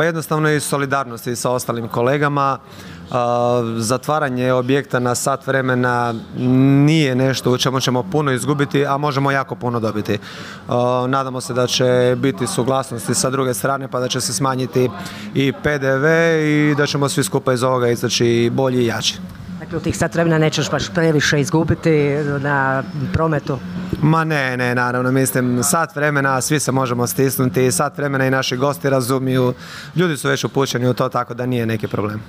Pa jednostavno i solidarnosti sa ostalim kolegama. Zatvaranje objekta na sat vremena nije nešto u čemu ćemo puno izgubiti, a možemo jako puno dobiti. Nadamo se da će biti suglasnosti sa druge strane, pa da će se smanjiti i PDV i da ćemo svi skupa iz ovoga izaći bolji i jači. Dakle, u tih sat vremena nećeš baš previše izgubiti na prometu? Ma ne, naravno, mislim, sat vremena svi se možemo stisnuti, sat vremena i naši gosti razumiju, ljudi su već upućeni u to, tako da nije neki problem.